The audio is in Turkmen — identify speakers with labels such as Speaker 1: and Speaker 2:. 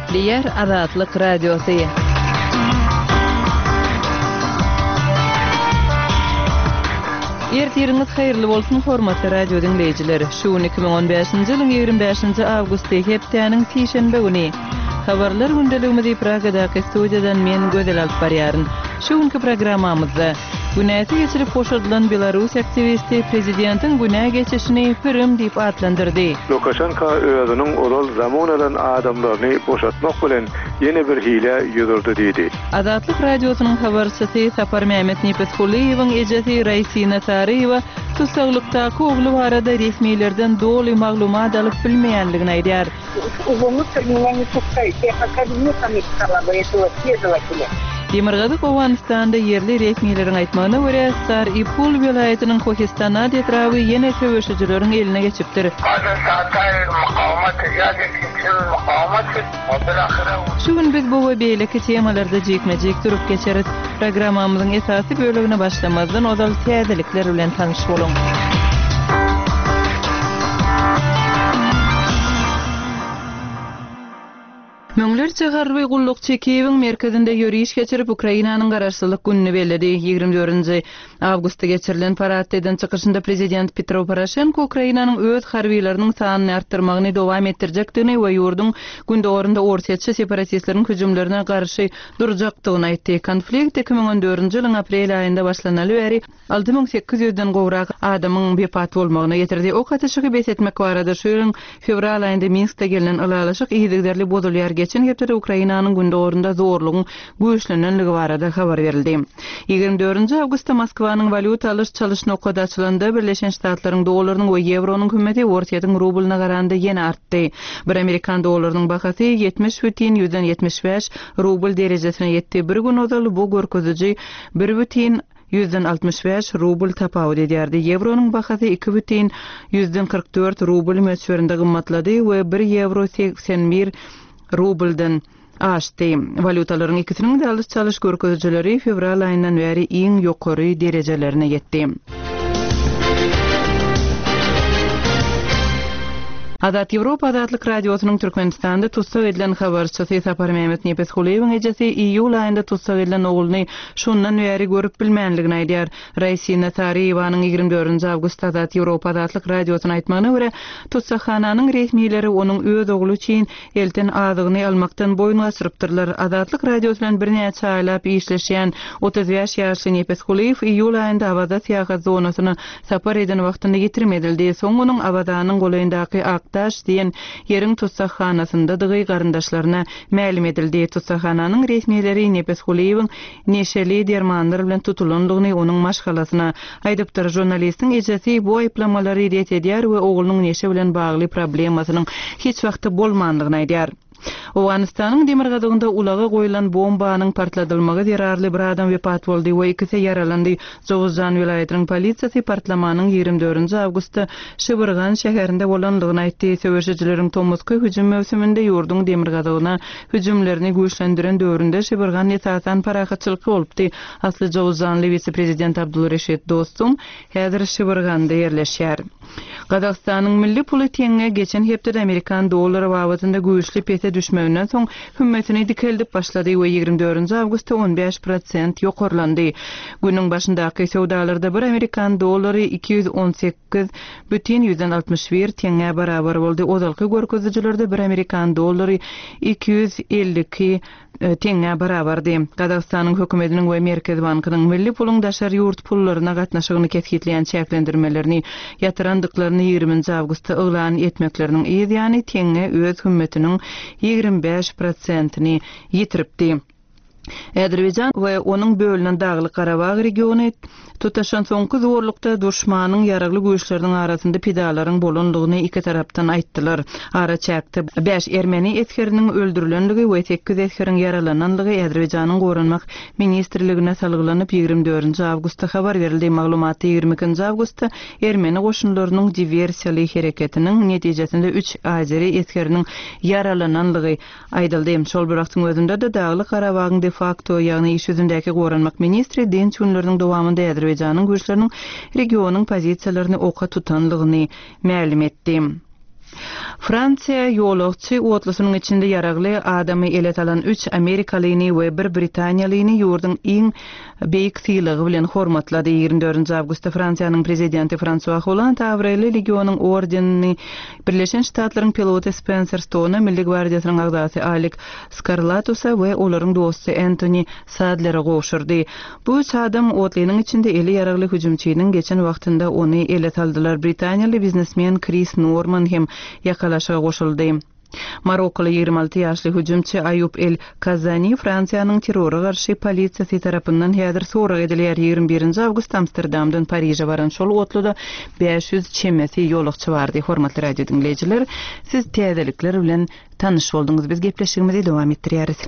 Speaker 1: Gepleýär Azatlyk Radiosy. Ertiriňiz haýyrly bolsun, hormatly radio diňleýjiler! Şu gün 2015-nji ýylyň 25-nji awgusty, hepdäniň sişenbe güni. Habarlar gündeligimizi Pragadaky studiýadan men Gözel alyp barýaryn. Şu günki programmamyzda, Günäsi geçilip boşadylan belarus aktiwisti prezidentiň günä geçişini pürüm diýip atlandyrdy.
Speaker 2: Lukaşenka özüniň ozal zamun alan adamlaryny boşatmak bilen ýene bir hilä yüz urdy diýdi.
Speaker 1: Azatlyk Radiosynyň habarçysy Saparmämmet Nepesgulyýewiň ejesi Raýsina Saryýewa tussaglykdaky ogly barada resmilerden doly maglumat alyp bilmeýänligini aýdýar. Demirgazyk Owganystanda ýerli resmileriň aýtmagyna görä, Sar-i-Pul welaýatynyň Kohistanat etraby ýene söweşijileriň eline geçipdir. Şu gün biz bu we beýleki temalarda jikme-jik durup geçeris. Programmamyzyň esasy bölegine başlamazdan ozal täzelikler bilen tanyş boluň. Müňlerçe harby gullukçy Kiýewiň merkezinde ýöriş geçirip, Ukrainanyň Garaşsyzlyk gününi belledi. Ýigrimi dördünji awgustda geçirilen paradda eden çykyşynda prezident Petro Poroşenko Ukrainanyň öz harbylarynyň sanyny artdyrmagyny dowam etdirjekdigini we ýurduň gündogarynda orsýetçi separatistleriň hüjümlerine garşy durjakdygyny aýtdy. Konflikt 2014-nji ýylyň aprel aýynda başlanaly bäri 6800-den gowrak adamyň wepat bolmagyna getirdi. Ok atyşygy bes etmek barada şu ýylyň fewral aýynda Minskde gelnen ylalaşyk yzygiderli bozulýar. Geçen hepdede Ukrainanyň gündogarynda zorlugyň güýçlenenligi barada habar berildi. Ýigrimi dördünji awgustda Moskwanyň walýuta alyş-çalyş nokady açylanda, Birleşen Ştatlaryň dollarynyň we ýewronyň hümmeti Orsýetiň rublyna garanda ýene artdy. Bir amerikan dollarynyň bahasy 70,75 rubl derejesine ýetdi. Bir gün ozal bu görkeziji 1,65 rubl tapawut edýärdi. Ýewronyň bahasy 2,44 rubl möçberinde gymmatlady we bir ýewro 81 rubldan aşdy. Walýutalaryň ikisiniň-de alyş-çalyş görkezijileri fewral aýyndan bäri iň ýokary derejelerine ýetdi. Azat Ýewropa Azatlyk Radiosynyň Türkmenistanda tussag edilen habarçysy Saparmämmet Nepesgulyýewiň ejesi iýul aýynda tussag edilen ogluny şondan bäri görüp bilmänligini aýdýar. Raýsina Saryýewanyň ýigrimi dördünji awgustda Azat Ýewropa Azatlyk Radiosyna aýtmagyna görä, tussaghananyň resmileri onuň öz ogly üçin elten azygyny almakdan boýun gaçyrypdyrlar. Azatlyk Radiosy bilen birnäçe aýlap işleşýän 35 ýaşly Nepes Kulyýew iýul aýynda Awaza syýahat zonasyna sapar eden wagtynda ýitirim edildi. Soň onuň Awazanyň golaýyndaky Akdaş diýen ýeriň tussaghanasyndadygy garyndaşlaryna mälim edildi. Tussaghananyň resmileri Nepes Kulyýewiň neşeli dermanlar bilen tutulandygyny onuň maşgalasyna aýdypdyr. Žurnalistiň ejesi bu aýyplamalary ret edýär we oglunyň neşe bilen bagly problemasynyň hiç wagtda bolmandygyny aýdýar. Owganystanyň demirgazygynda ulaga goýlan bombanyň partladylmagy zerarly bir adam wepat boldy we ikisi ýaralandy. Jowuzjan welaýatynyň polisiýasy partlamanyň ýigrimi dördünji awgustda Şibirgan şäherinde bolandygyny aýtdy. Söweşijileriň tomusky hüjüm möwsüminde ýurduň demirgazygyna hüjümlerini güýçlendiren döwründe Şibirgan esasan parahatçylykly bolupdy. Asly jowuzjanly wise-prezident Abdulreşit Dostum häzir Şibirganda ýerleşýär. Gazagystanyň milli puly teňňe geçen hepdede amerikan dollary babatynda güýçli pese düşmeginden soň hümmetini dikeldip başlady we ýigrimi dördünji awgustda on bäş prosent ýokarlandy. Günüň başyndaky söwdalarda bir amerikan dollary 218,61 teňňä barabar boldy. Ozalky görkezijilerde bir amerikan dollary 252 teňňä barabardy. Gazagystanyň hökümetiniň we Merkezi bankynyň milli puluň daşary ýurt pullaryna gatnaşygyny kesgitleýän çäklendirmelerini ýatyrandyklaryny ýigriminji awgustda yglan etmekleriniň yz ýany teňňe öz hümmetiniň 25 prosentini ýitiripdi. Azerbaýjan we onuň bölünen Daglyk-Garabag regiony tutaşan soňky zorlukda duşmanyň ýaragly güýçleriniň arasynda pidalaryň bolandygyny iki tarapdan aýtdylar. Araçäkde bäş ermeni esgeriniň öldürilenligi we sekiz esgeriň ýaralananlygy Azerbaýjanyň Goranmak ministrligine salgylanyp, ýigrimi dördünji awgustda habar berildi. Maglumatda ýigrimi ikinji awgustda ermeni goşunlarynyň diwersiýaly hereketiniň netijesinde üç azeri esgeriniň ýaralananlygy Aýdyldy. Şol bir wagtyň özünde-de, Daglyk-Garabagyň de-fakto, ýagny iş ýüzündäki goranmak ministri dynç günleriniň dowamynda Azerbaýjanyň güýçleriniň regionyň pozisiýalaryny oka tutanlygyny mälim etdi. Fransiýa ýolagçy otlusynyň içinde ýaragly adamy ele salan üç amerikalyny we bir britaniýalyny ýurduň iň beýik sylagy bilen hormatlady. 24 awgustda Fransiýanyň prezidenti Fransua Holland abraýly legionyň ordenini Birleşen Ştatlaryň piloty Spenser Stona, Milli gwardiýasynyň agzasy Alik Skarlatusa we olaryň dosty Entoni Sadlere gowşurdy. Bu üç adam otlynyň içinde eli ýaragly hüjümçiniň geçen wagtynda ony ele saldylar. Britaniýaly biznesmen Kris Norman hem ýakalaşyga goşuldy. Marokkoly 26 ýaşly hüjümçi Aýub El Kazani Fransiýanyň terrora garşy polisiýasy tarapyndan häzir sorag edilýär. 21-nji awgust Amsterdamdan Pariže baran şol otluda 500 çemesi ýolagçy bardy. Hormatly radio diňleýjiler, siz täzelikler bilen tanyş bolduňyz. Biz gepleşigimizi dowam etdirýäris.